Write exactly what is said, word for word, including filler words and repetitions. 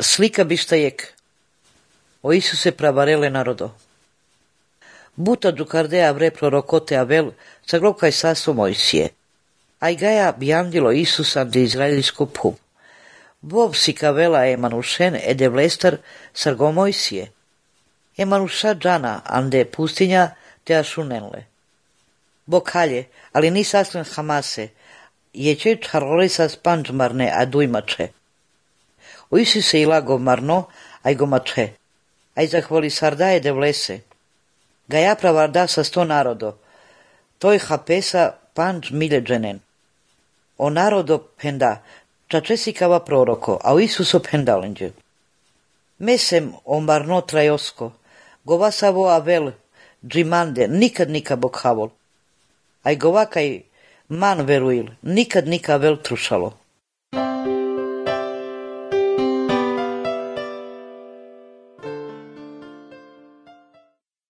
Slika bištajek. O Isuse pravarele narodo. Buta džukardea vre prorokote avel, saglokaj saso Mojsije. Aj gaja biandilo Isusan de izraelsko pub. Vov si kavela emanušen ede vlestar sargo Mojsije. Emanuša džana ande pustinja te ašunenle. Bokalje, ali ni saslen Hamase, je če čarole sa spanđmarne a dujmače. O Isuse ilago marno, aj go mače. Aj zahvali sardaje de vlese. Gaja pravarda sa sto narodo. Toj hapesa panđ miljeđenen. O narodo penda, čačesikava proroko, a o Isuso pendalenđe. Mesem o marno trajosko, govasavo avel, džimande, nikad nika bokhavol. Aj govakaj man veruil, nikad nika vel trušalo.